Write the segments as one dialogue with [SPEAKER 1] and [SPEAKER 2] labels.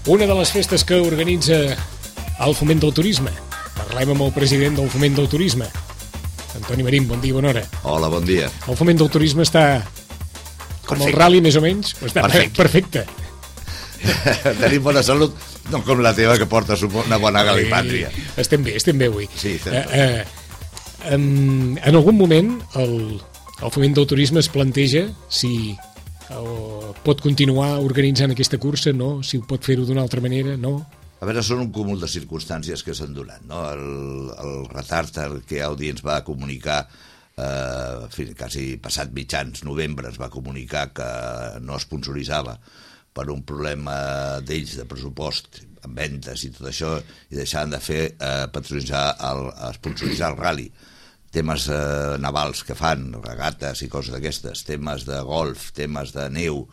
[SPEAKER 1] una de les festes que organitza el Foment del Turisme. Parlem amb el president del Foment del Turisme, Antoni Marín. Bon dia, bona hora.
[SPEAKER 2] Hola, bon dia.
[SPEAKER 1] El Foment del Turisme està com el rally, més o menys? Està perfecte.
[SPEAKER 2] Tenim bona salut, no com la teva, que porta una bona galipàtria.
[SPEAKER 1] Estem bé avui.
[SPEAKER 2] Sí,
[SPEAKER 1] en algun moment el Foment del Turisme es planteja si pot continuar organitzant aquesta cursa, no? Si ho pot fer-ho d'una altra manera, no?
[SPEAKER 2] A veure, són un cúmul de circumstàncies que s'han donat, no? El retard que Audi ens va comunicar, quasi passat mitjans novembre, es va comunicar que no sponsoritzava per un problema d'ells de pressupost, amb ventes i tot això, i deixaven de fer sponsoritzar el rally. Temes navals que fan, regates i coses d'aquestes, temes de golf, temes de neu,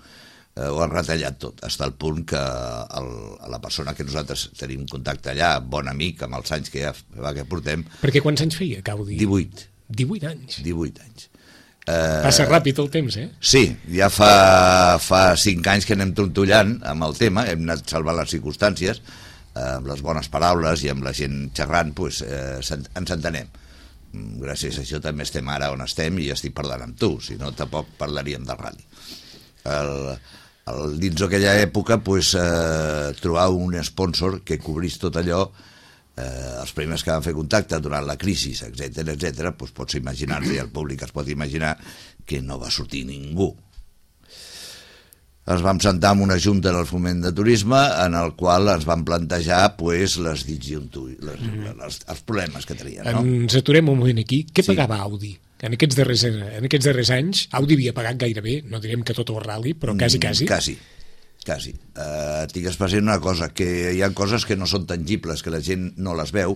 [SPEAKER 2] ho han retallat tot, fins al punt que la persona que nosaltres tenim contacte allà, bon amic, amb els anys que ja portem...
[SPEAKER 1] Perquè quants anys feia, Gaudi?
[SPEAKER 2] 18.
[SPEAKER 1] 18 anys?
[SPEAKER 2] 18 anys.
[SPEAKER 1] Passa ràpid el temps, eh?
[SPEAKER 2] Sí, ja fa 5 anys que anem trontollant amb el tema, hem anat salvant les circumstàncies, amb les bones paraules i amb la gent xerrant, ens entenem. Gràcies a això també estem ara on estem i estic parlant amb tu, si no tampoc parlaríem del rally. Dins d'aquella època trobar un sponsor que cobrís tot allò, els primers que van fer contacte durant la crisi, etc, pots imaginar-te, i el públic es pot imaginar que no va sortir ningú. Ens vam sentar en una junta del Foment de Turisme en el qual ens van plantejar les els problemes que tenien.
[SPEAKER 1] Ens aturem un moment aquí. Què pagava Audi? En aquests darrers anys, Audi havia pagat gairebé, no direm que tot el rally, però quasi.
[SPEAKER 2] Quasi. Tingues present una cosa, que hi ha coses que no són tangibles, que la gent no les veu,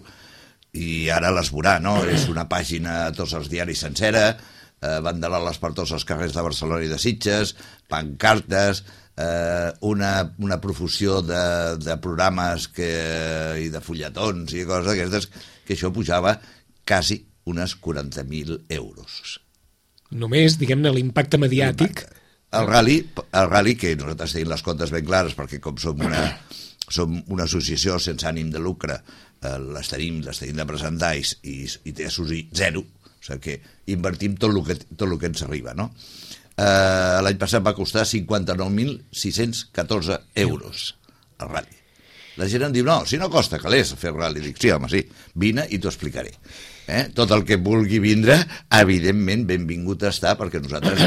[SPEAKER 2] i ara les veurà, no? És una pàgina a tots els diaris sencera, banderoles per tots els carrers de Barcelona i de Sitges, pancartes, una profusió de programes i de fulletons i coses d'aquestes, que això pujava quasi unes 40.000 euros.
[SPEAKER 1] Només, diguem-ne, l'impacte mediàtic.
[SPEAKER 2] El rally, que nosaltres tenim les comptes ben clares, perquè com som una associació sense ànim de lucre, les tenim de presentar i té zero, o sigui que invertim tot el que ens arriba, no? L'any passat va costar 59.614 euros el rally. La gent em diu, no, si no costa calés fer rally. Dic, sí, home, sí, vine i t'ho explicaré. Tot el que vulgui vindre, evidentment, benvingut està, perquè nosaltres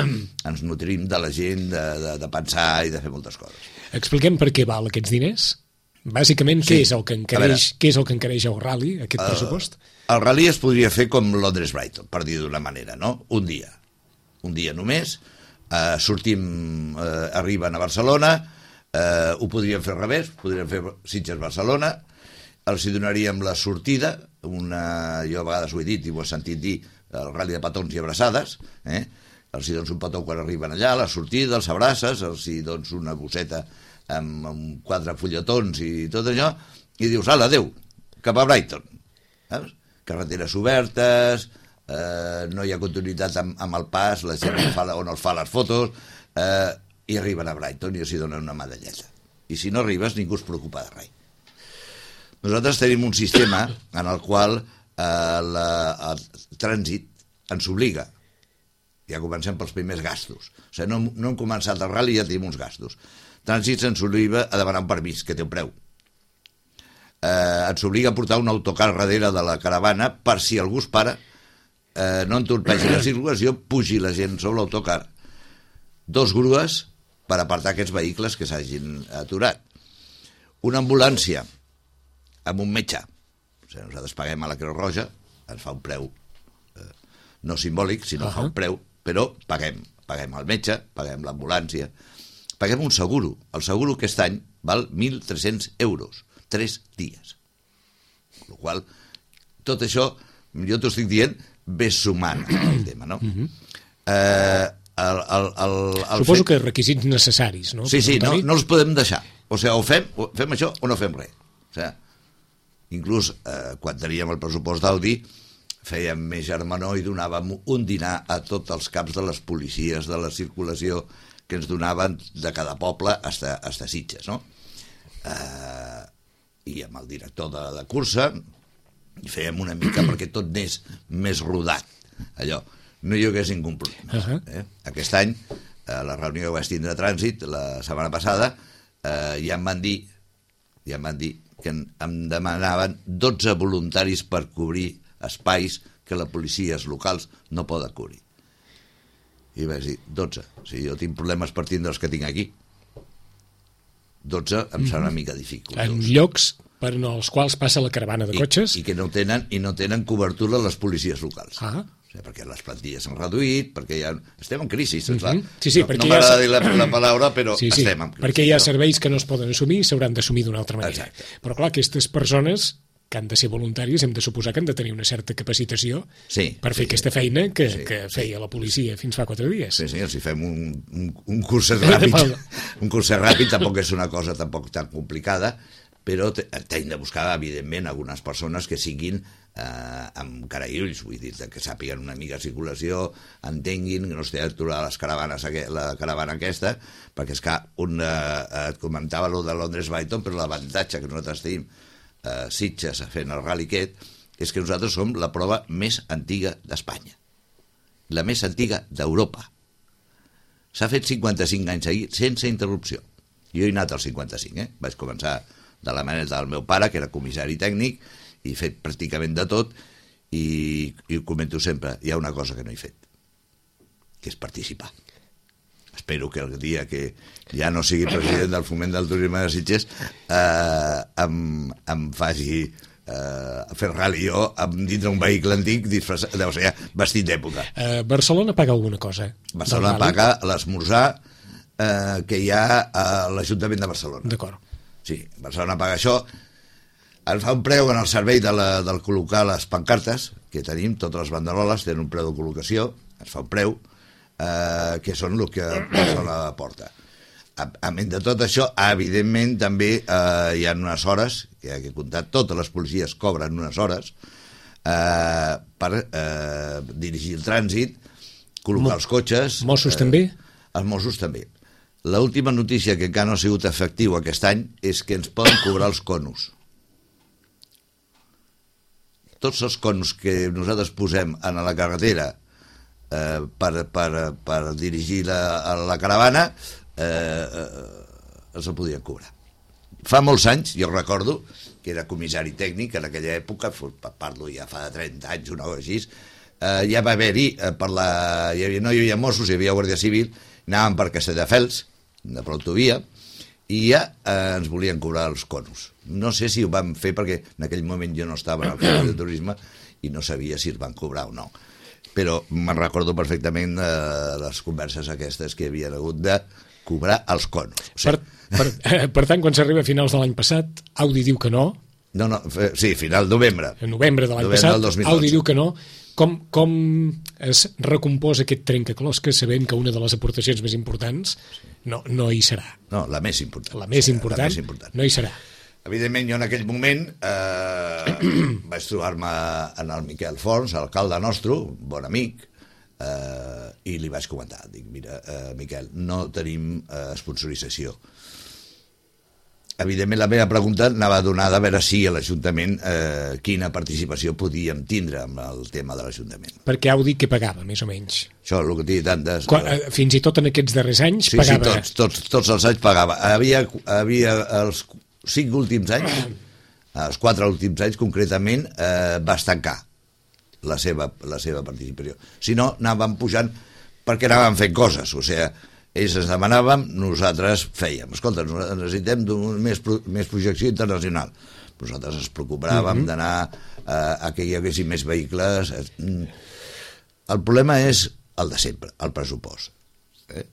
[SPEAKER 2] ens nutrim de la gent, de pensar i de fer moltes coses.
[SPEAKER 1] Expliquem per què val aquests diners. Bàsicament, què és el que encareix el rally, aquest pressupost?
[SPEAKER 2] El rally es podria fer com Londres-Brighton, per dir d'una manera, no? Un dia només, arriben a Barcelona, ho podríem fer al revés, podríem fer Sitges-Barcelona, els hi donaríem la sortida, jo a vegades ho he dit i ho he sentit dir, el rally de petons i abraçades, els hi dones un petó quan arriben allà, la sortida, els abraces, els hi dones una bosseta amb 4 fulletons i tot allò, i dius, ala, adeu, cap a Brighton. Carreteres obertes, no hi ha continuïtat amb el pas, la gent on els fa les fotos, i arriben a Brighton i els hi donen una medalleta. I si no arribes, ningú es preocupa de res. Nosaltres tenim un sistema en el qual el trànsit ens obliga. Ja comencem pels primers gastos. O sigui, no hem començat el rally i ja tenim uns gastos. Trànsit ens obliga a demanar un permís, que té un preu. Ens obliga a portar un autocar darrere de la caravana per si algú es para, no entorpeixi la circulació, pugi la gent sobre l'autocar. 2 grues per apartar aquests vehicles que s'hagin aturat. Una ambulància amb un metge. O sigui, nosaltres paguem a la Creu Roja, ens fa un preu no simbòlic, sinó fa un preu, però paguem el metge, paguem l'ambulància, paguem un seguro. El seguro aquest any val 1.300 euros, 3 dies. Amb la qual tot això, jo t'ho estic dient, ves sumant el tema, no?
[SPEAKER 1] Suposo que requisits necessaris, no?
[SPEAKER 2] Sí, no els podem deixar. O sigui, o fem això o no fem res. O sigui, inclús quan teníem el pressupost d'Audi fèiem més germanor i donàvem un dinar a tots els caps de les policies de la circulació que ens donaven de cada poble hasta Sitges, no? i amb el director de cursa, i fèiem una mica perquè tot anés més rodat, allò, no hi hagués ningú problema. Aquest any, a la reunió que vaig tindre a Trànsit, la setmana passada, ja em van dir que em demanaven 12 voluntaris per cobrir espais que les policies locals no poden cobrir. I vaig dir, 12. Si jo tinc problemes per tindre els que tinc aquí, 12 em serà una mica dificultós.
[SPEAKER 1] En llocs per als quals passa la caravana de cotxes.
[SPEAKER 2] I que no tenen cobertura les policies locals. O sigui, perquè les plantilles s'han reduït, perquè ja estem en crisi, saps?
[SPEAKER 1] Sí,
[SPEAKER 2] no m'agrada dir la paraula, però estem en crisi.
[SPEAKER 1] Perquè hi ha serveis que no es poden assumir i s'hauran d'assumir d'una altra manera.
[SPEAKER 2] Exacte.
[SPEAKER 1] Però clar, aquestes persones que han de ser voluntàries hem de suposar que han de tenir una certa capacitació per fer aquesta feina que feia la policia fins fa 4 dies.
[SPEAKER 2] Sí, si fem un curset ràpid, tampoc és una cosa tampoc tan complicada, però hem de buscar, evidentment, algunes persones que siguin amb cara i ulls, vull dir, que sàpiguen una mica de circulació, entenguin, que no estigui aturar la caravana aquesta, perquè és que et comentava allò de Londres Brighton, però l'avantatge que nosaltres tenim Sitges fent el rally aquest és que nosaltres som la prova més antiga d'Espanya, la més antiga d'Europa. S'ha fet 55 anys seguits sense interrupció. Jo he anat als 55, vaig començar de la manera del meu pare, que era comissari tècnic, i he fet pràcticament de tot, i ho comento sempre, hi ha una cosa que no he fet, que és participar. Espero que el dia que ja no sigui president del Foment del Turisme de Sitges em faci fer rally jo dins d'un vehicle antic vestit d'època.
[SPEAKER 1] Barcelona paga alguna cosa?
[SPEAKER 2] Barcelona paga l'esmorzar que hi ha a l'Ajuntament de Barcelona.
[SPEAKER 1] D'acord.
[SPEAKER 2] Sí, Barcelona paga això. Ens fa un preu en el servei del col·locar les pancartes que tenim, totes les banderoles tenen un preu de col·locació, ens fa un preu que són el que Barcelona porta. A més de tot això, evidentment també hi ha unes hores, que he comptat, totes les policies cobren unes hores per dirigir el trànsit, col·locar els cotxes.
[SPEAKER 1] Mossos també?
[SPEAKER 2] Els Mossos també. L'última notícia que encara no ha sigut efectiu aquest any és que ens poden cobrar els conos. Tots els conos que nosaltres posem a la carretera per dirigir la caravana els el podien cobrar. Fa molts anys, jo recordo que era comissari tècnic en aquella època, parlo ja fa 30 anys, una cosa així, ja va haver-hi, no hi havia Mossos, hi havia Guàrdia Civil, anàvem per Castelldefels, de l'autovia, i ja ens volien cobrar els conos. No sé si ho vam fer perquè en aquell moment jo no estava en el Foment de Turisme i no sabia si es van cobrar o no. Però me'n recordo perfectament les converses aquestes que havien hagut de cobrar els conos. O sigui,
[SPEAKER 1] per tant, quan s'arriba a finals de l'any passat, Audi diu que no.
[SPEAKER 2] Sí, final novembre.
[SPEAKER 1] En novembre de l'any passat, Audi diu que no. Com es recompòs aquest trencaclosques sabent que una de les aportacions més importants no hi serà?
[SPEAKER 2] No, la més important.
[SPEAKER 1] La més important no hi serà.
[SPEAKER 2] Evidentment, jo en aquell moment vaig trobar-me en el Miquel Forns, alcalde nostre, bon amic, i li vaig comentar, dic, mira, Miquel, no tenim sponsorització. Evidentment, la meva pregunta anava donada a veure si a l'Ajuntament quina participació podíem tindre amb el tema de l'Ajuntament.
[SPEAKER 1] Perquè Audi què pagava, més o menys?
[SPEAKER 2] Això, el que té tantes...
[SPEAKER 1] Fins i tot en aquests darrers anys pagava...
[SPEAKER 2] Sí, tots els anys pagava. Havia els 5 últims anys, els 4 últims anys concretament, va estancar la seva participació. Si no, anàvem pujant perquè anàvem fent coses, o sigui, ells ens demanàvem, nosaltres fèiem. Escolta, necessitem més projecció internacional. Nosaltres ens preocupàvem d'anar a que hi haguessin més vehicles. El problema és el de sempre, el pressupost.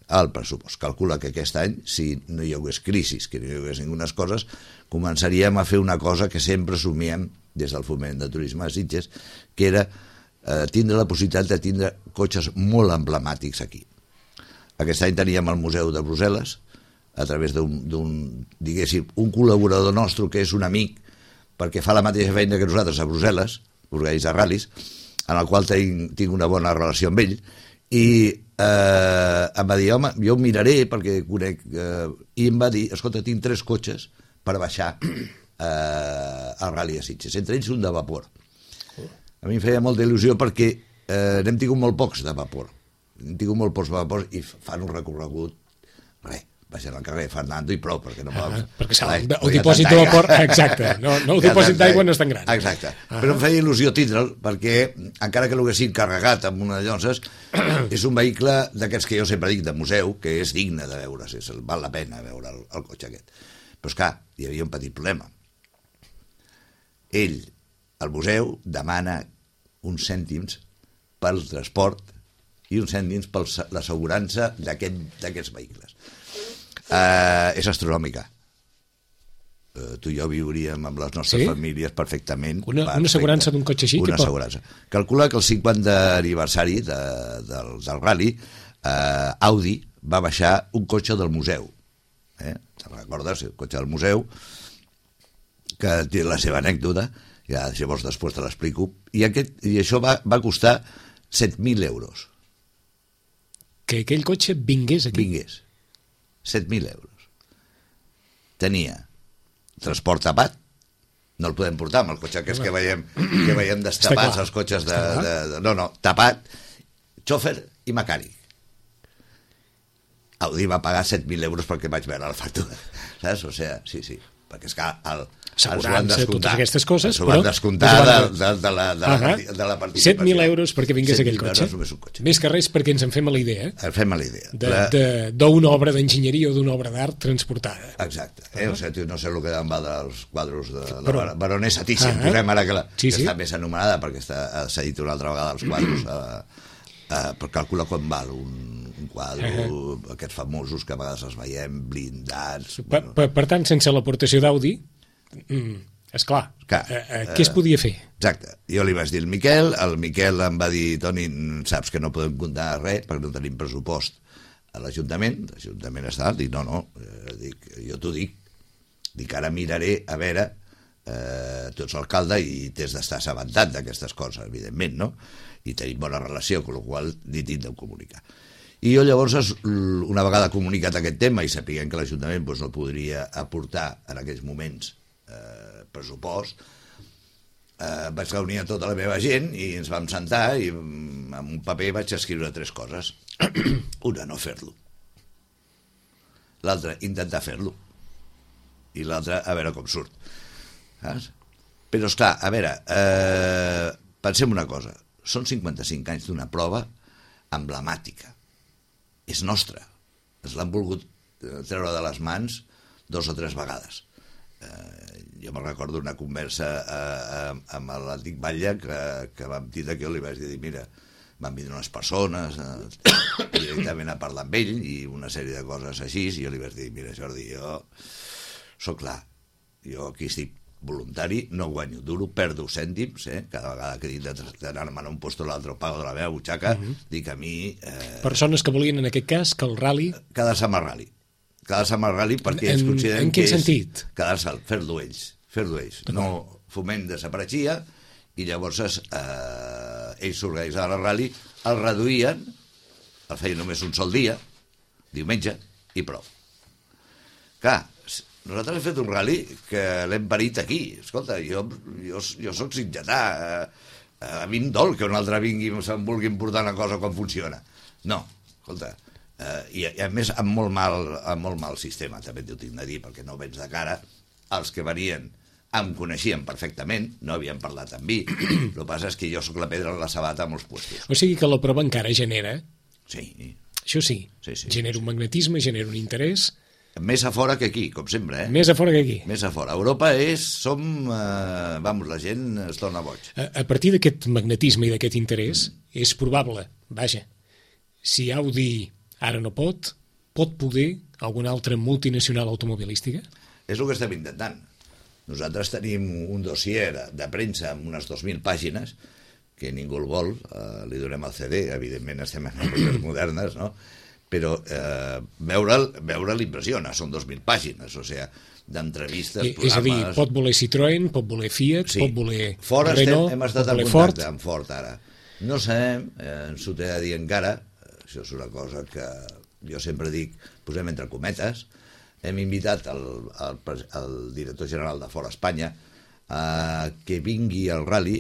[SPEAKER 2] El pressupost. Calcula que aquest any, si no hi hagués crisis, que no hi hagués ningunes coses, començaríem a fer una cosa que sempre somiem des del Foment de Turisme de Sitges, que era tindre la possibilitat de tindre cotxes molt emblemàtics aquí. Aquest any teníem el Museu de Brussel·les, a través diguéssim, un col·laborador nostre que és un amic, perquè fa la mateixa feina que nosaltres a Brussel·les, organitza ral·lis, en el qual tinc una bona relació amb ell, i em va dir, home, jo ho miraré perquè conec... I em va dir, escolta, tinc 3 cotxes per baixar al Rally a Sitges. Entre ells un de vapor. A mi em feia molta il·lusió perquè n'hem tingut molt pocs de vapor. Hem tingut molt pocs de vapor i fan un recorregut, baixen al carrer Fernando i prou, perquè no poden...
[SPEAKER 1] Perquè el dipòsit de vapor... Exacte, no el dipòsit d'aigua no és tan gran.
[SPEAKER 2] Exacte, però em feia il·lusió tindre'l, perquè encara que l'haguessin carregat amb una llonces, és un vehicle d'aquests que jo sempre dic de museu, que és digne de veure, val la pena veure el cotxe aquest. Però esclar, hi havia un petit problema. Ell, al museu, demana uns cèntims pel transport i uns cèntims per l'assegurança d'aquests vehicles. És astronòmica. Tu i jo viuríem amb les nostres famílies perfectament.
[SPEAKER 1] Una assegurança d'un cotxe així?
[SPEAKER 2] Una assegurança. Calcula que el 50 aniversari del Rally, Audi va baixar un cotxe del museu. Te'n recordes? El cotxe del museu, que té la seva anècdota, ja llavors després te l'explico, i això va costar 7.000 euros.
[SPEAKER 1] Que aquell cotxe vingués aquí?
[SPEAKER 2] Vingués. 7.000 euros. Tenia transport tapat, no el podem portar amb el cotxe aquest que veiem destapats, els cotxes no, tapat, xòfer i mecànic. Audi va pagar 7.000 euros perquè vaig veure la factura, saps? O sigui, sí, perquè és que
[SPEAKER 1] assegurança, totes aquestes coses,
[SPEAKER 2] però van descomptar de la participació.
[SPEAKER 1] 7.000 euros perquè vingués aquell cotxe. Més que res perquè ens en fem a la idea.
[SPEAKER 2] Fem a la idea.
[SPEAKER 1] D'una obra d'enginyeria o d'una obra d'art transportada.
[SPEAKER 2] Exacte. No sé el que en va dels quadros de la baronessa Thyssen, posem ara que està més anomenada perquè s'ha dit una altra vegada els quadros, per calcular quan val un quadro, aquests famosos que a vegades els veiem blindats.
[SPEAKER 1] Per tant, sense l'aportació d'Audi, esclar, què es podia fer?
[SPEAKER 2] Exacte, jo li vaig dir al Miquel, el Miquel em va dir, Toni, saps que no podem comptar res perquè no tenim pressupost a l'Ajuntament està, dic, no, jo t'ho dic, ara miraré a veure, tu ets alcalde i t'has d'estar assabentat d'aquestes coses, evidentment, no? I tenim bona relació, amb la qual ni tindrem comunicar. I jo llavors, una vegada comunicat aquest tema i sapiguem que l'Ajuntament no podria aportar en aquells moments pressupost, vaig reunir a tota la meva gent i ens vam sentar i amb un paper vaig escriure 3 coses. Una, no fer-lo. L'altra, intentar fer-lo. I l'altra, a veure com surt. Saps? Però, esclar, a veure, pensem una cosa. Són 55 anys d'una prova emblemàtica. És nostra. Ens l'han volgut treure de les mans 2 o 3 vegades. Jo me'n recordo una conversa amb l'antic batlle que vam dir que jo li vaig dir, mira, van vindre unes persones directament a parlar amb ell i una sèrie de coses així, i jo li vaig dir, mira Jordi, jo soc clar, jo aquí estic voluntari, no guanyo duro, perdo cèntims, cada vegada que he dit d'anar-me a un lloc o l'altre pago de la meva butxaca, dic a mi...
[SPEAKER 1] Persones que volien en aquest cas que el rally...
[SPEAKER 2] Quedar-se amb el rally. Quedar-se amb el rally perquè ells consideren
[SPEAKER 1] que és... En quin sentit?
[SPEAKER 2] Quedar-se'l, fer-lo ells. No Foment desapareixia i llavors ells s'organitzaven el rally, el reduïen, el feien només un sol dia, diumenge, i prou. Clar, nosaltres hem fet un rally que l'hem parit aquí. Escolta, jo soc sitgetà, a mi em dol que un altre vingui i se'm vulgui portar una cosa com funciona. No, escolta, i a més amb molt mal sistema, també t'ho tinc de dir, perquè no vens de cara. Els que venien em coneixien perfectament, no havien parlat amb mi, el que passa és que jo sóc la pedra en la sabata a molts puestos.
[SPEAKER 1] O sigui que la prova encara genera...
[SPEAKER 2] Sí.
[SPEAKER 1] Això sí. Genera un magnetisme, genera un interès...
[SPEAKER 2] Més a fora que aquí, com sempre,
[SPEAKER 1] Més a fora que aquí.
[SPEAKER 2] Més a fora. Europa la gent es torna boig.
[SPEAKER 1] A partir d'aquest magnetisme i d'aquest interès, és probable, vaja, si Audi ara no pot poder alguna altra multinacional automobilística?
[SPEAKER 2] És el que estem intentant. Nosaltres tenim un dossier de premsa amb unes 2.000 pàgines, que ningú el vol, li donem el CD, evidentment estem en èpoques modernes, no? Però veure'l impressiona, són 2.000 pàgines, o sigui, d'entrevistes, programes...
[SPEAKER 1] És a dir, pot voler Citroën, pot voler Fiat, pot voler
[SPEAKER 2] Fora
[SPEAKER 1] Renault,
[SPEAKER 2] hem estat en contacte amb Ford ara. No sabem, ens ho t'he de dir encara, això és una cosa que jo sempre dic, posem entre cometes, hem invitat el director general de Fora Espanya que vingui al rally,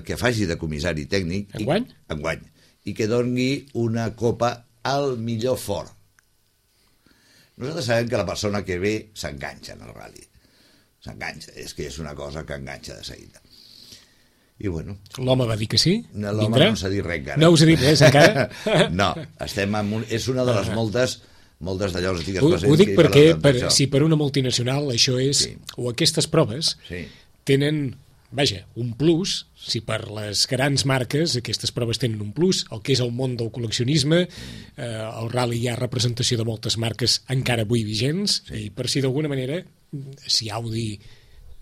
[SPEAKER 2] que faci de comissari tècnic.
[SPEAKER 1] Enguany?
[SPEAKER 2] Enguany. I que doni una copa al millor fort. Nosaltres sabem que la persona que ve s'enganxa en el rally. S'enganxa, és que és una cosa que enganxa de seguida. I bueno...
[SPEAKER 1] L'home va dir que sí?
[SPEAKER 2] L'home
[SPEAKER 1] Vindrà?
[SPEAKER 2] no s'ha dit res encara.
[SPEAKER 1] No us ha dit res encara?
[SPEAKER 2] No, estem en és una de les moltes d'allò antigues presents.
[SPEAKER 1] Ho dic perquè si per una multinacional això és...
[SPEAKER 2] Sí.
[SPEAKER 1] O aquestes proves tenen, vaja, un plus, si per les grans marques aquestes proves tenen un plus, el que és el món del col·leccionisme, el rally hi ha representació de moltes marques encara avui vigents, i per si d'alguna manera, si Audi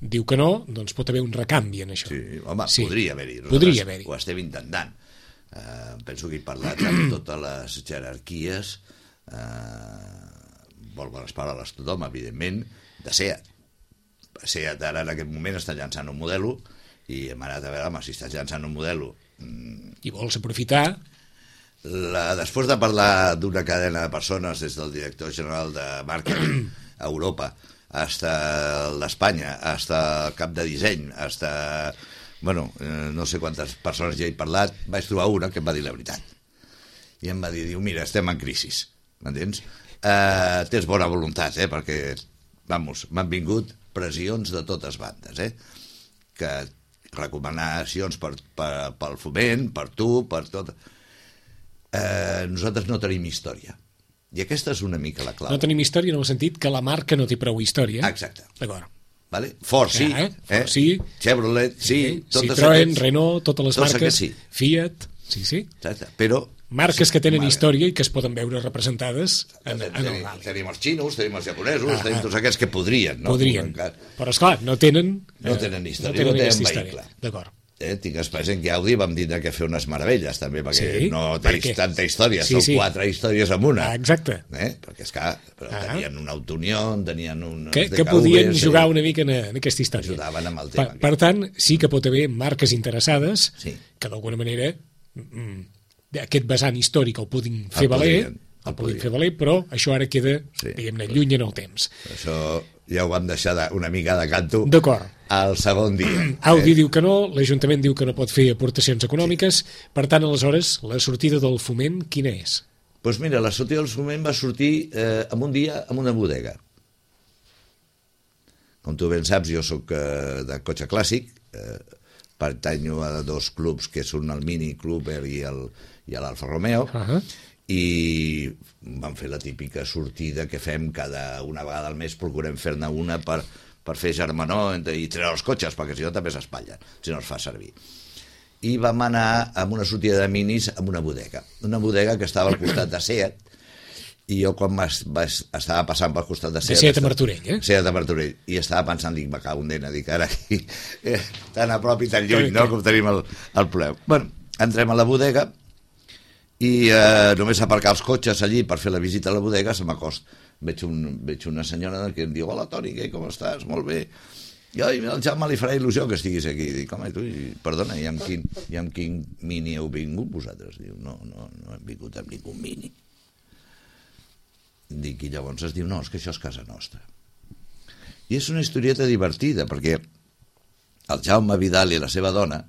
[SPEAKER 1] diu que no, doncs pot haver un recanvi en això.
[SPEAKER 2] Sí, home, podria haver-hi.
[SPEAKER 1] Podria haver-hi.
[SPEAKER 2] Ho estem intentant. Penso que he parlat amb totes les jerarquies, vol bones paraules tothom, evidentment, de SEAT. SEAT ara en aquest moment està llançant un modelo i hem anat a veure, home, si estàs llançant un modelo...
[SPEAKER 1] I vols aprofitar...
[SPEAKER 2] Després de parlar d'una cadena de persones, des del director general de màrqueting a Europa, hasta el d'Espanya, hasta el cap de disseny, hasta... Bueno, no sé quantes persones ja he parlat, vaig trobar una que em va dir la veritat. I em va dir, mira, estem en crisi, m'entens? Tens bona voluntat, perquè, vamos, m'han vingut pressions de totes bandes, que recomanacions pel foment, per tu, per tot... Nosaltres no tenim història. I aquesta és una mica la clau.
[SPEAKER 1] No tenim història en el sentit que la marca no té prou història.
[SPEAKER 2] Exacte.
[SPEAKER 1] D'acord.
[SPEAKER 2] Vale? Ford sí,
[SPEAKER 1] Ford sí,
[SPEAKER 2] Chevrolet sí,
[SPEAKER 1] Citroën, Renault, totes les marques,
[SPEAKER 2] sí.
[SPEAKER 1] Fiat, sí.
[SPEAKER 2] Exacte. Però
[SPEAKER 1] marques que tenen història i que es poden veure representades en el rally.
[SPEAKER 2] Tenim els xinos, tenim els japonesos, tenim tots aquests que podrien. No?
[SPEAKER 1] Podrien, però esclar, no tenen
[SPEAKER 2] història, no tenen vehicle.
[SPEAKER 1] D'acord.
[SPEAKER 2] Tinc present que Audi vam tindre que fer unes meravelles també, perquè no té tanta història, són 4 històries en una.
[SPEAKER 1] Exacte.
[SPEAKER 2] Perquè esclar, però tenien un Autounion, tenien un...
[SPEAKER 1] Que podien jugar una mica en aquesta història.
[SPEAKER 2] Ajudaven amb el tema.
[SPEAKER 1] Per tant, sí que pot haver marques interessades que d'alguna manera aquest vessant històric el puguin fer valer, però això ara queda, diguem-ne, lluny en el temps.
[SPEAKER 2] Això ja ho vam deixar una mica de canto.
[SPEAKER 1] D'acord.
[SPEAKER 2] El segon dia.
[SPEAKER 1] Audi diu que no, l'Ajuntament diu que no pot fer aportacions econòmiques, per tant, aleshores, la sortida del foment, quina és?
[SPEAKER 2] Doncs mira, la sortida del foment va sortir en un dia en una bodega. Com tu ben saps, jo sóc de cotxe clàssic, pertanyo a 2 clubs que són el Mini Clubber i l'Alfa Romeo, i vam fer la típica sortida que fem una vegada al mes, procurem fer-ne una per fer germanor i treure els cotxes, perquè si no també s'espatllen, si no es fa servir. I vam anar amb una sortida de minis amb una bodega que estava al costat de SEAT, i jo quan estava passant pel costat de
[SPEAKER 1] SEAT a Martorell,
[SPEAKER 2] SEAT a Martorell, i estava pensant, dic, me cago en dena, dic, ara aquí, tan a prop i tan lluny, no?, com tenim el problema. Bueno, entrem a la bodega, i només aparcar els cotxes allí per fer la visita a la bodega se m'acosta. Veig una senyora que em diu, hola Toni, com estàs? Molt bé. I el Jaume li farà il·lusió que estiguis aquí. Dic, home, tu, perdona, i amb quin mini heu vingut vosaltres? Diu, no hem vingut amb ningú mini. Dic, i llavors es diu, no, és que això és casa nostra. I és una historieta divertida, perquè el Jaume Vidal i la seva dona,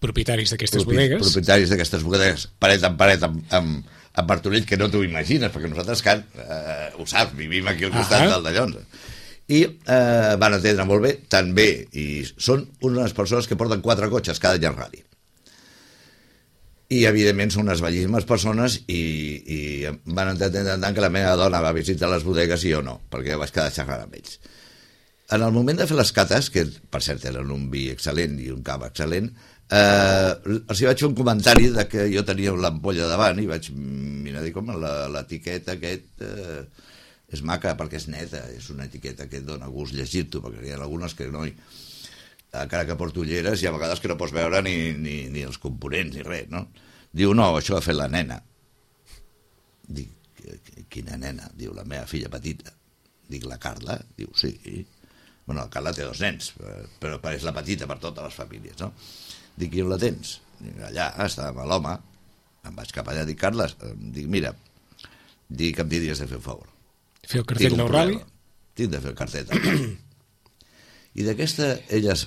[SPEAKER 1] propietaris d'aquestes bodegues,
[SPEAKER 2] paret en paret amb Martorell, que no t'ho imagines, perquè nosaltres, ho saps, vivim aquí al costat del d'allò. I van atendre molt bé, tan bé, i són unes persones que porten 4 cotxes cada any al rally. I, evidentment, són unes bellíssimes persones i van entendre tant que la meva dona va visitar les bodegues i jo no, perquè vaig quedar xerrant amb ells. En el moment de fer les cates, que per cert eren un vi excel·lent i un cava excel·lent, els hi vaig fer un comentari de que jo tenia l'ampolla davant i vaig mirar, dic, home, l'etiqueta és maca perquè és neta, és una etiqueta que et dona gust llegir-t'ho, perquè hi ha algunes que no, encara que porto ulleres, hi ha vegades que no pots veure ni els components ni res, no? Diu, no, això ho ha fet la nena. Dic, quina nena? Diu, la meva filla petita. Dic, la Carla? Diu, sí. Bueno, la Carla té 2 nens, però és la petita per totes les famílies, no? Dic, i on la tens? Dic, allà, estava amb l'home. Em vaig cap allà, dic, Carles, dic, mira, dic, em diries de fer un favor.
[SPEAKER 1] Fer el cartell del rally?
[SPEAKER 2] Tinc de fer el cartell del rally. I d'aquesta, elles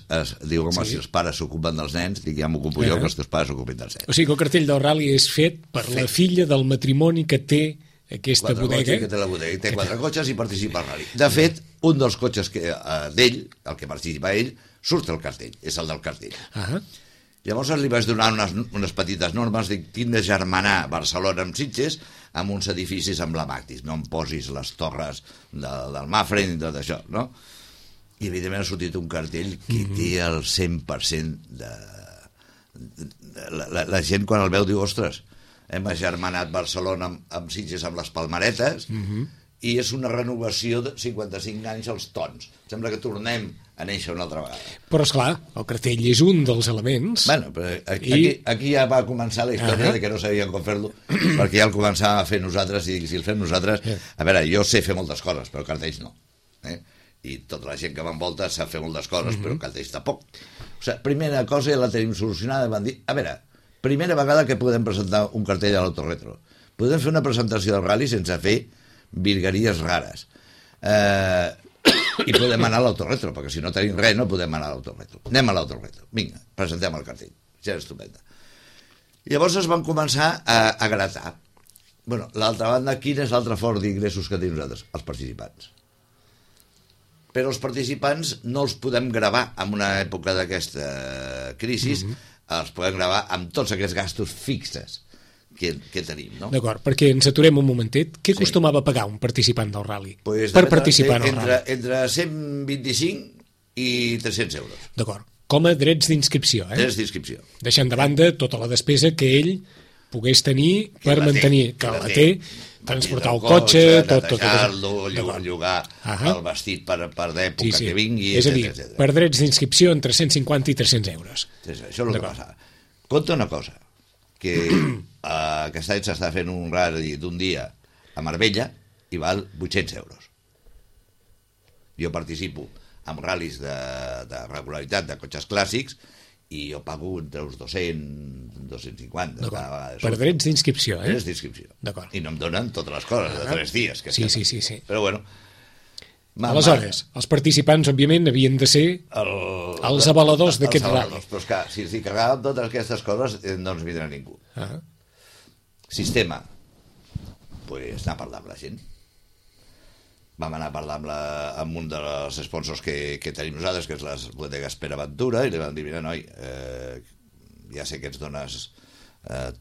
[SPEAKER 2] diu, home, si els pares s'ocupen dels nens, dic, ja m'ocupo jo, que els teus pares s'ocupin dels nens.
[SPEAKER 1] O sigui que el cartell del rally és fet per la filla del matrimoni que té aquesta bodega.
[SPEAKER 2] Que té la bodega, té 4 cotxes i participa al rally. De fet, un dels cotxes d'ell, el que participa ell, surt el cartell, és el del cartell. Llavors li vaig donar unes petites normes, dic, tinc de germanar Barcelona amb Sitges amb uns edificis emblemàtics, no em posis les torres del Mafre ni tot això, no? I evidentment ha sortit un cartell que té el 100% de... La gent quan el veu diu, ostres, hem agermanat Barcelona amb Sitges amb les palmaretes i és una renovació de 55 anys als tons. Sembla que tornem a néixer una altra vegada.
[SPEAKER 1] Però, esclar, el cartell és un dels elements.
[SPEAKER 2] Bueno, però aquí ja va començar la història de que no sabíem com fer-lo, perquè ja el començàvem a fer nosaltres i si el fem nosaltres... A veure, jo sé fer moltes coses, però cartells no. I tota la gent que m'envolta sap fer moltes coses, però cartells tampoc. O sigui, primera cosa ja la tenim solucionada, van dir, a veure, primera vegada que podem presentar un cartell a l'Autoretro. Podem fer una presentació del rally sense fer virgueries rares. I podem anar a l'Autoretro, perquè si no tenim res no podem anar a l'Autoretro. Anem a l'Autoretro. Vinga, presentem el cartell. Ja és estupenda. Llavors es van començar a gratar. Bueno, l'altra banda, quin és l'altre fort d'ingressos que tenim nosaltres? Els participants. Però els participants no els podem gravar en una època d'aquesta crisi, els podem gravar amb tots aquests gastos fixes que tenim, no?
[SPEAKER 1] D'acord, perquè ens aturem un momentet. Què acostumava a pagar un participant del rally? Per participar en el rally?
[SPEAKER 2] Entre 125 i 300 euros.
[SPEAKER 1] D'acord, com a drets d'inscripció,
[SPEAKER 2] Drets d'inscripció.
[SPEAKER 1] Deixant de banda tota la despesa que ell pogués tenir per mantenir, que la té, transportar el cotxe, tot.
[SPEAKER 2] Llogar el vestit per d'època que vingui,
[SPEAKER 1] és a dir, per drets d'inscripció entre 150 i 300 euros.
[SPEAKER 2] Això és el que passava. Compte una cosa, que aquest any s'està fent un rally d'un dia a Marbella i val 800 euros. Jo participo en ral·lis de regularitat de cotxes clàssics i jo pago entre uns 200, 250.
[SPEAKER 1] Per drets d'inscripció,
[SPEAKER 2] Drets d'inscripció. I no em donen totes les coses de 3 dies.
[SPEAKER 1] Sí.
[SPEAKER 2] Però bueno...
[SPEAKER 1] Aleshores, els participants, òbviament, havien de ser els avaladors d'aquest rally.
[SPEAKER 2] Però és que si ens hi carregàvem totes aquestes coses no ens vindrà ningú. Sistema. Pues anar a parlar amb la gent. Vam anar a parlar amb un dels sponsors que tenim nosaltres, que és les bodegues Pere Ventura, i li vam dir, mira, noi, ja sé que ens dones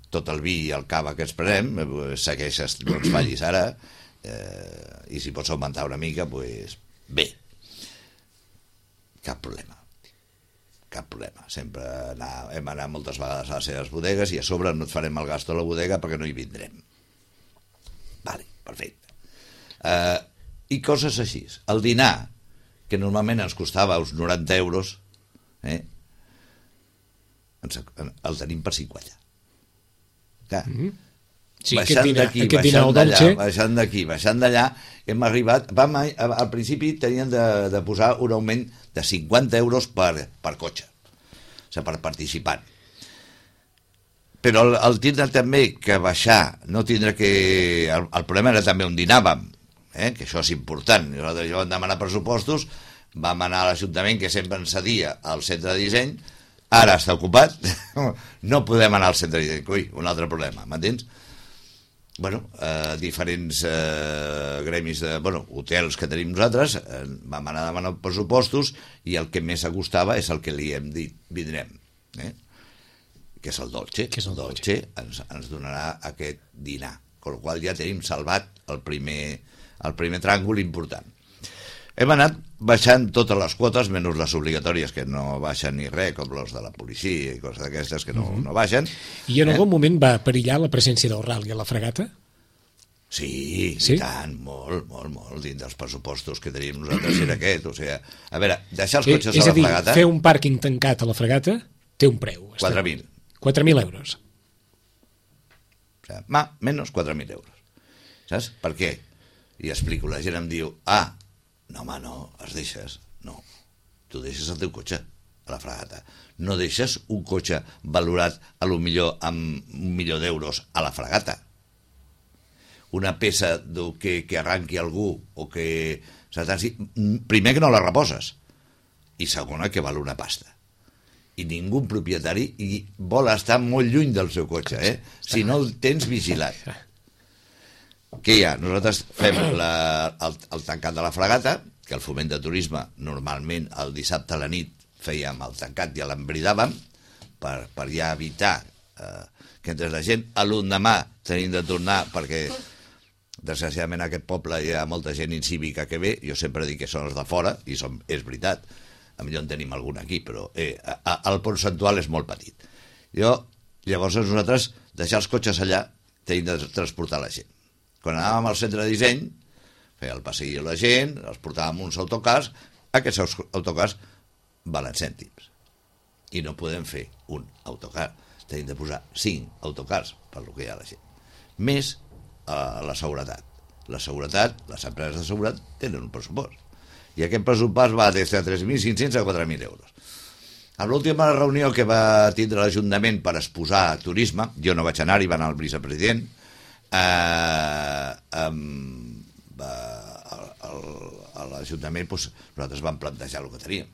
[SPEAKER 2] tot el vi i el cava que ens prenem, segueixes, no ens fallis ara, i si pots augmentar una mica, doncs bé. Cap problema. Sempre hem anat moltes vegades a les seves bodegues i a sobre no et farem el gasto a la bodega perquè no hi vindrem. Vale, perfecte. I coses així. El dinar, que normalment ens costava uns 90 euros, el tenim per 50. Clar.
[SPEAKER 1] Sí,
[SPEAKER 2] baixant d'aquí, baixant d'allà, hem arribat... Al principi tenien de posar un augment de 50 euros per cotxe, o sigui, per participant. Però el tindre també que baixar, no tindre que... El problema era també on dinàvem, que això és important. Nosaltres vam demanar pressupostos, vam anar a l'Ajuntament, que sempre ens cedia al centre de disseny, ara està ocupat, no podem anar al centre de disseny. Ui, un altre problema, m'entens? Bueno, diferents gremis de hotels que tenim nosaltres, vam anar a demanar pressupostos i el que més acostava és el que li hem dit, vindrem, que és el Dolce. El Dolce ens donarà aquest dinar, amb la qual ja tenim salvat el primer tràngol important. Hem anat baixant totes les quotes, menys les obligatòries, que no baixen ni res, com les de la policia i coses d'aquestes que no baixen.
[SPEAKER 1] I en algun moment va perillar la presència del rally a la fregata?
[SPEAKER 2] Sí, i tant, molt, dins dels pressupostos que tenim nosaltres era aquest. O sigui, a veure, deixar els cotxes a la fregata...
[SPEAKER 1] És a dir, fer un pàrquing tancat a la fregata té un preu.
[SPEAKER 2] 4.000.
[SPEAKER 1] 4.000 euros.
[SPEAKER 2] O sigui, menys 4.000 euros. Saps? Per què? I explico, la gent em diu, no, home, no, es deixes. No, tu deixes el teu cotxe a la fregata. No deixes un cotxe valorat a lo millor amb 1 milió d'euros a la fregata. una peça que arranqui algú o que s'atansi, primer que no la reposes i segona que val una pasta i ningú propietari i vol estar molt lluny del seu cotxe, si no el tens vigilat. Què hi ha? Nosaltres fem el tancat de la fregata, que el Foment de Turisme normalment el dissabte a la nit fèiem el tancat i l'embridàvem per ja evitar que entrés la gent. A l'endemà tenim de tornar perquè desgraciadament a aquest poble hi ha molta gent incívica que ve. Jo sempre dic que són els de fora i és veritat, potser en tenim algun aquí, però el percentual és molt petit. Llavors nosaltres deixar els cotxes allà tenim de transportar la gent. Quan anàvem al centre de disseny feia el passeig a la gent, els portàvem uns autocars. Aquests autocars valen cèntims i no podem fer un autocar, tenim de posar 5 autocars per lo que hi ha la gent, més la seguretat. La seguretat, les empreses de seguretat tenen un pressupost i aquest pressupost va des de 3.500 a 4.000 euros. A l'última reunió que va tindre l'Ajuntament per exposar turisme, jo no vaig anar-hi, va anar el vicepresident, a l'Ajuntament nosaltres vam plantejar el que teníem,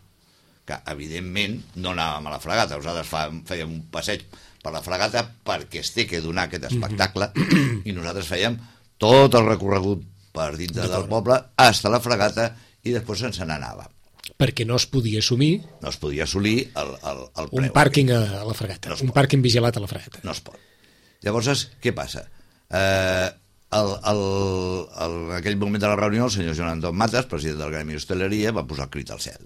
[SPEAKER 2] que evidentment no anàvem a la fregata, nosaltres fèiem un passeig per la fregata perquè es té que donar aquest espectacle i nosaltres fèiem tot el recorregut per dintre del poble fins a la fregata i després se'n n'anava.
[SPEAKER 1] Perquè no es podia assumir...
[SPEAKER 2] No es podia assolir el preu.
[SPEAKER 1] Un pàrquing a la fregata, un pàrquing vigilat a la fregata.
[SPEAKER 2] No es pot. Llavors, què passa? En aquell moment de la reunió, el senyor Joan Anton Matas, president del Gremi d'Hostaleria, va posar el crit al cel.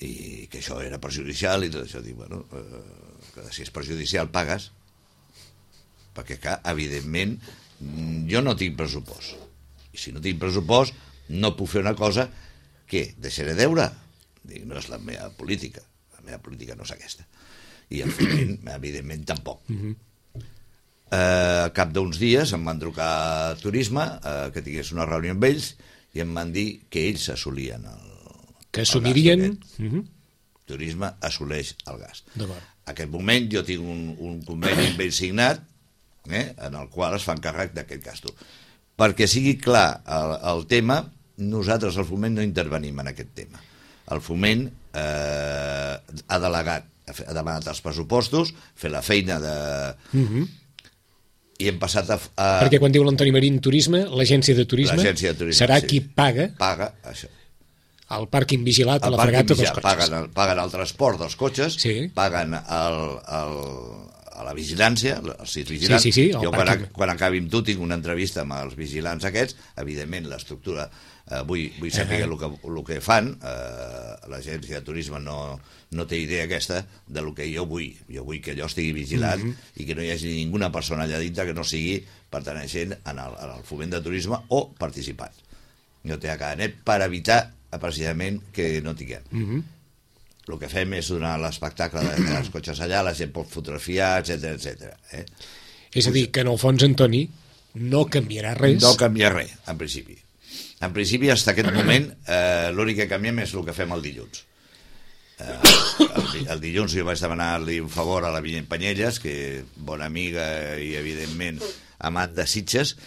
[SPEAKER 2] I que això era perjudicial i tot això. Dic, bueno, que si és perjudicial pagues, perquè, clar, evidentment, jo no tinc pressupost. I si no tinc pressupost, no puc fer una cosa que deixaré deure. Dic, no és la meva política. La meva política no és aquesta. I el Foment, evidentment, tampoc. Al cap d'uns dies em van trucar a Turisme, que tingués una reunió amb ells, i em van dir que ells assolien
[SPEAKER 1] que assumirien...
[SPEAKER 2] Turisme assoleix el gas. En aquest moment jo tinc un conveni amb ells signat, en el qual es fan càrrec d'aquest gasto. Perquè sigui clar el tema, nosaltres al Foment no intervenim en aquest tema. El Foment ha delegat, ha demanat els pressupostos, fer la feina de... I hem passat a...
[SPEAKER 1] Perquè quan diu l'Antoni Marín Turisme, l'agència de turisme serà qui paga...
[SPEAKER 2] Paga això.
[SPEAKER 1] El pàrquing vigilat a la fregata dels cotxes.
[SPEAKER 2] Paguen el transport dels cotxes, paguen a la vigilància, els sis vigilants. Jo quan acabi amb tu tinc una entrevista amb els vigilants aquests, evidentment l'estructura, vull saber el que fan, l'agència de turisme no té idea aquesta del que jo vull. Jo vull que allò estigui vigilat i que no hi hagi ninguna persona allà dintre que no sigui perteneixent al Foment de Turisme o participant. No té a cada net per evitar precisament que no tinguem. El que fem és donar l'espectacle dels cotxes allà, la gent pot fotografiar, etc.
[SPEAKER 1] És a dir, que en el fons, Antoni, no canviarà res.
[SPEAKER 2] No canvia res, en principi. En principi, fins aquest moment, l'únic que canviem és el que fem el dilluns. El dilluns jo vaig demanar-li un favor a la Vinyet Panyelles, que bona amiga i, evidentment, amant de Sitges,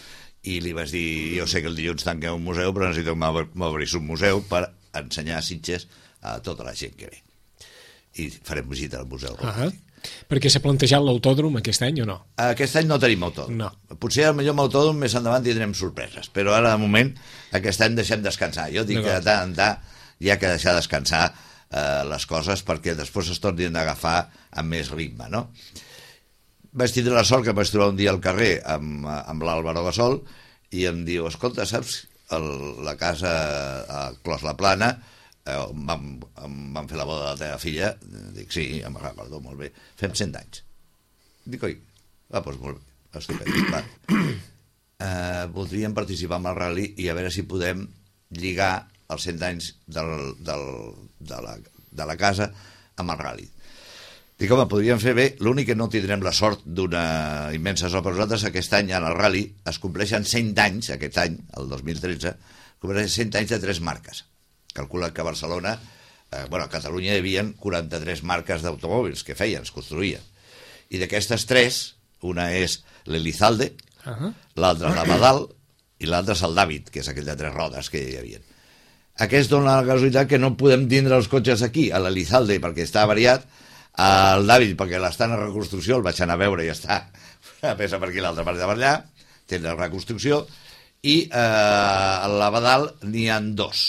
[SPEAKER 2] i li vaig dir, jo sé que el dilluns tanqueu un museu, però necessito que m'obris un museu per ensenyar Sitges a tota la gent que ve. I farem visita al museu.
[SPEAKER 1] Perquè s'ha plantejat l'autòdrom aquest any o no?
[SPEAKER 2] Aquest any no tenim autòdrom.
[SPEAKER 1] No.
[SPEAKER 2] Potser potser amb l'autòdrom més endavant tindrem sorpreses, però ara de moment aquest any deixem descansar. Jo dic que de tant en tant hi ha que deixar descansar les coses perquè després es tornin a agafar amb més ritme, no? Vaig tindre la sort que vaig trobar un dia al carrer amb l'Àlvaro Gasol i em diu, escolta, saps, la casa a Clos la Plana em van fer la boda de la teva filla. Dic, sí, em recordo, molt bé, fem 100 anys. Dic, oi, doncs molt bé, estupend. Voldríem participar en el rally i a veure si podem lligar els 100 anys de la casa amb el rally. Dic, home, podríem fer bé, l'únic que no tindrem la sort d'una immensa sort per nosaltres, aquest any en el rally es compleixen 100 anys, aquest any, el 2013, compleixen 100 anys de 3 marques. Calcula que a Barcelona, a Catalunya hi havia 43 marques d'automòbils que feien, es construïen. I d'aquestes 3, una és l'Elizalde, l'altre l'Abadal i l'altre és el David, que és aquell de 3 rodes que hi havia. Aquest dona la casualitat que no podem tindre els cotxes aquí, a l'Elizalde, perquè està avariat, el David, perquè l'està en reconstrucció, el vaig anar a veure i està una peça per aquí, l'altra part de per allà, té la reconstrucció, i a l'Abadal n'hi ha 2.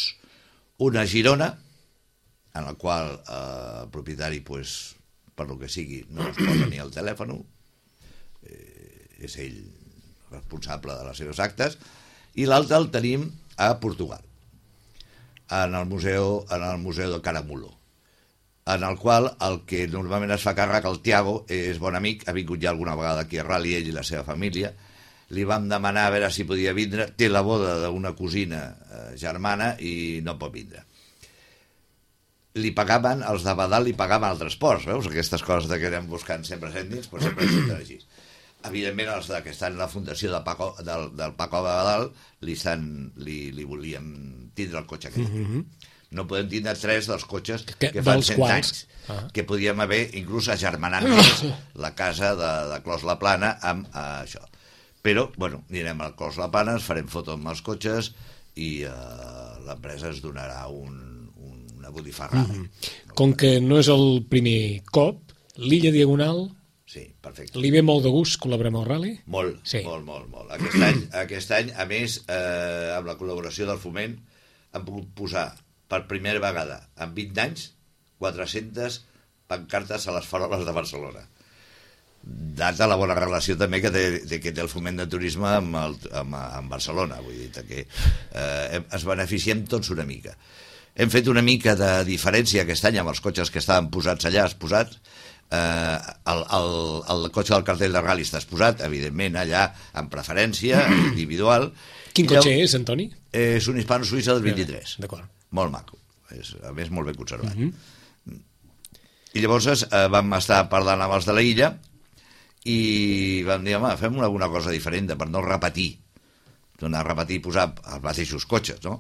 [SPEAKER 2] Una a Girona, en la qual el propietari, pues, per lo que sigui, no es posa ni el telèfon, és ell responsable de les seves actes, i l'altre el tenim a Portugal, en el museu de Caramulo, en el qual el que normalment es fa càrrec, el Tiago, és bon amic, ha vingut ja alguna vegada aquí a Rally, ell i la seva família, li vam demanar a veure si podia vindre, té la boda d'una cosina germana i no pot vindre. Li pagaven, els d'Abadal li pagaven el transport, veus? Aquestes coses que anem buscant sempre cèntims, però sempre surten així. Evidentment, els que estan en la fundació del Paco Abadal li volien tindre el cotxe aquell. No podem tindre 3 dels cotxes que fan 100 anys, que podíem haver inclús agermanant la casa de Clos La Plana amb això. Però, bueno, anirem al Clos La Plana, ens farem foto amb els cotxes i l'empresa ens donarà una botifarrada.
[SPEAKER 3] Com que no és el primer cop, l'Illa Diagonal...
[SPEAKER 2] Sí, perfecte.
[SPEAKER 3] Li ve molt de gust col·laborar amb el Rally?
[SPEAKER 2] Molt, sí. molt. Aquest any, a més, amb la col·laboració del Foment, hem pogut posar per primera vegada en 20 anys 400 pancartes a les faroles de Barcelona. Data la bona relació també que té el Foment de Turisme amb Barcelona. Vull dir que ens beneficiem tots una mica. Hem fet una mica de diferència aquest any amb els cotxes que estaven posats allà, el cotxe del cartell de Rally està exposat, evidentment, allà en preferència, individual.
[SPEAKER 3] Quin cotxe és, Antoni?
[SPEAKER 2] És un hispano-suïssa del 23.
[SPEAKER 3] D'acord.
[SPEAKER 2] Molt maco. A més, molt ben conservat. I llavors vam estar parlant amb els de la Illa i vam dir, home, fem alguna cosa diferent per no repetir. Tornar a repetir i posar els mateixos cotxes, no?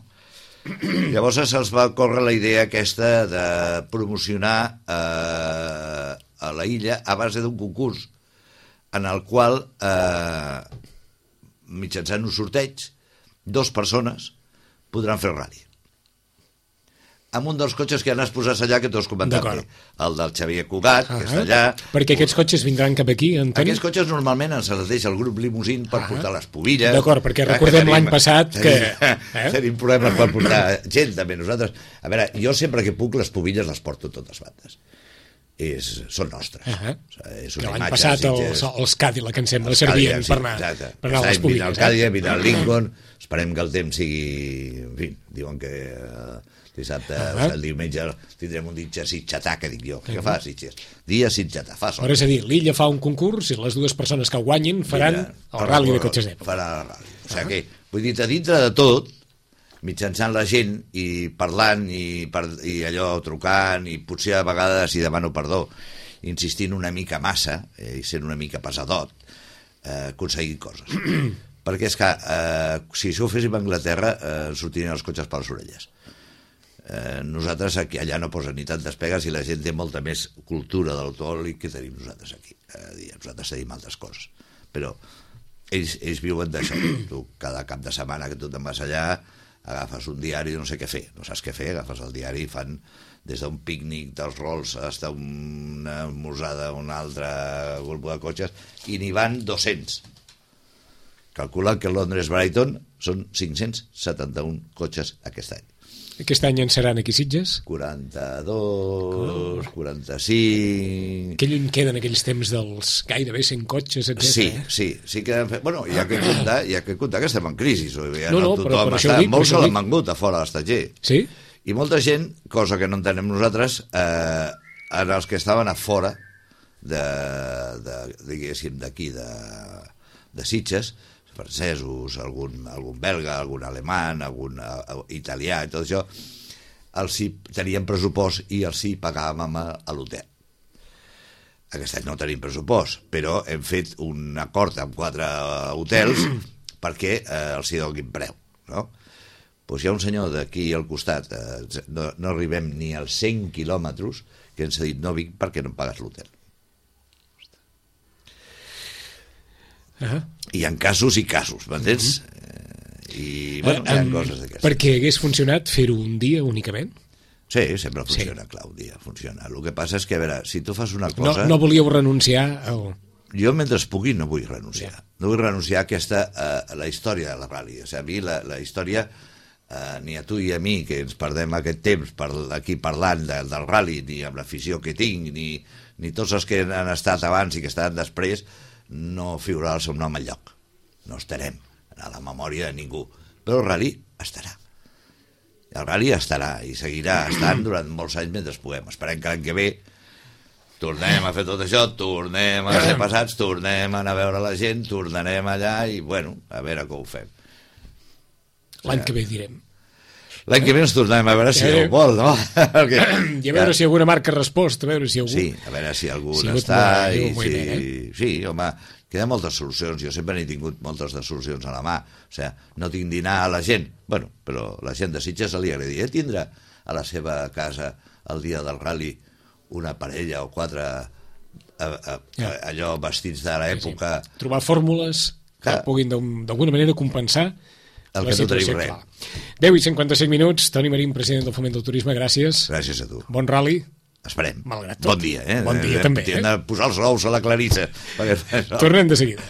[SPEAKER 2] Llavors se'ls va córrer la idea aquesta de promocionar a la Illa a base d'un concurs en el qual mitjançant un sorteig 2 persones podran fer el rally amb un dels cotxes que han exposats allà que tu has comentat, el del Xavier Cugat, que està allà.
[SPEAKER 3] Perquè aquests cotxes vindran cap aquí, Antoni?
[SPEAKER 2] Aquests cotxes normalment ens els deixa el grup Limousin per portar les pubilles.
[SPEAKER 3] D'acord, perquè recordem l'any passat que...
[SPEAKER 2] Tenim problemes per portar gent, també. Nosaltres, a veure, jo sempre que puc les pubilles les porto a totes bandes. Són nostres.
[SPEAKER 3] L'any passat els Cadillac, em sembla, servien per anar a les pubilles.
[SPEAKER 2] El Cadillac, vindrà el Lincoln, esperem que el temps sigui... En fi, diuen que... dissabte, el diumenge tindrem un dia sitxatà, que dic jo, que fa Sitges? Dia sitxatà, fa sol.
[SPEAKER 3] Però és a dir, l'Illa fa un concurs i les 2 persones que el guanyin faran el rally de cotxes d'època.
[SPEAKER 2] Faran el rally. O sigui que, vull dir, a dintre de tot, mitjançant la gent i parlant i allò trucant i potser a vegades, i demano perdó, insistint una mica massa i sent una mica pesadot, aconseguir coses. Perquè és que si això ho féssim a Anglaterra sortirien els cotxes per les orelles. Nosaltres aquí, allà no posen ni tantes pegues i la gent té molta més cultura de l'automòbil que tenim nosaltres aquí. Nosaltres tenim altres coses, però ells viuen d'això. Tu cada cap de setmana que tu te'n vas allà agafes un diari i no sé què fer, no saps què fer, agafes el diari i fan des d'un pícnic dels Rolls fins a una mosada, un altre grup de cotxes, i n'hi van 200. Calcula que Londres-Brighton són 571 cotxes aquest any.
[SPEAKER 3] Aquest any en seran aquí Sitges?
[SPEAKER 2] 42, 45...
[SPEAKER 3] Que lluny queden aquells temps dels gairebé 100 cotxes, etc.
[SPEAKER 2] Sí que han fet... Bueno, hi ha que comptar que estem en crisi.
[SPEAKER 3] No, però per això ho dic.
[SPEAKER 2] Molts se l'han vengut a fora de l'estatger.
[SPEAKER 3] Sí?
[SPEAKER 2] I molta gent, cosa que no entenem nosaltres, en els que estaven a fora diguéssim, d'aquí, de Sitges, francesos, algun belga, algun alemany, algun italià i tot això, els hi tenien pressupost i els hi pagàvem a l'hotel. Aquest any no tenim pressupost, però hem fet un acord amb 4 hotels perquè els hi donin preu, no? Doncs hi ha un senyor d'aquí al costat, no arribem ni als 100 quilòmetres, que ens ha dit no vinc perquè no em pagues l'hotel. Hi ha casos i casos, m'entens? I, bueno, hi ha coses d'aquestes.
[SPEAKER 1] Perquè hagués funcionat fer-ho un dia únicament?
[SPEAKER 2] Sí, sempre funciona, clar, un dia funciona. El que passa és que, a veure, si tu fas una cosa...
[SPEAKER 1] No volíeu renunciar al...
[SPEAKER 2] Jo, mentre pugui, no vull renunciar. No vull renunciar a la història de la ràdio. O sigui, a mi la història, ni a tu i a mi, que ens perdem aquest temps aquí parlant del rally, ni amb l'afició que tinc, ni tots els que han estat abans i que estan després, no figurarà el seu nom enlloc. No estarem a la memòria de ningú. Però el rally estarà. El rally estarà i seguirà estant durant molts anys mentre puguem. Esperem que l'any que ve tornem a fer tot això, tornem a ser passats, tornem a anar a veure la gent, tornarem allà i, bueno, a veure com ho fem.
[SPEAKER 1] L'any que ve direm.
[SPEAKER 2] L'any que ve ens tornem a veure si ho vol, no?
[SPEAKER 1] I a veure si alguna marca ha respost, a veure si algú...
[SPEAKER 2] Sí, a veure si algú està... Sí, home, queden moltes solucions. Jo sempre n'he tingut moltes de solucions a la mà. O sigui, no tinc dinar a la gent. Bueno, però la gent de Sitges li agradaria tindre a la seva casa el dia del rally una parella o 4 allò vestits de l'època.
[SPEAKER 1] Sí. Trobar fórmules que puguin d'alguna manera compensar
[SPEAKER 2] el que no tenim res.
[SPEAKER 1] 10:55, Toni Marín, president del Foment del Turisme, gràcies.
[SPEAKER 2] Gràcies a tu.
[SPEAKER 1] Bon rally.
[SPEAKER 2] Esperem.
[SPEAKER 1] Malgrat tot.
[SPEAKER 2] Bon dia,
[SPEAKER 1] Bon dia, també.
[SPEAKER 2] Hem de posar els ous a la Clarissa.
[SPEAKER 1] Tornem de seguida.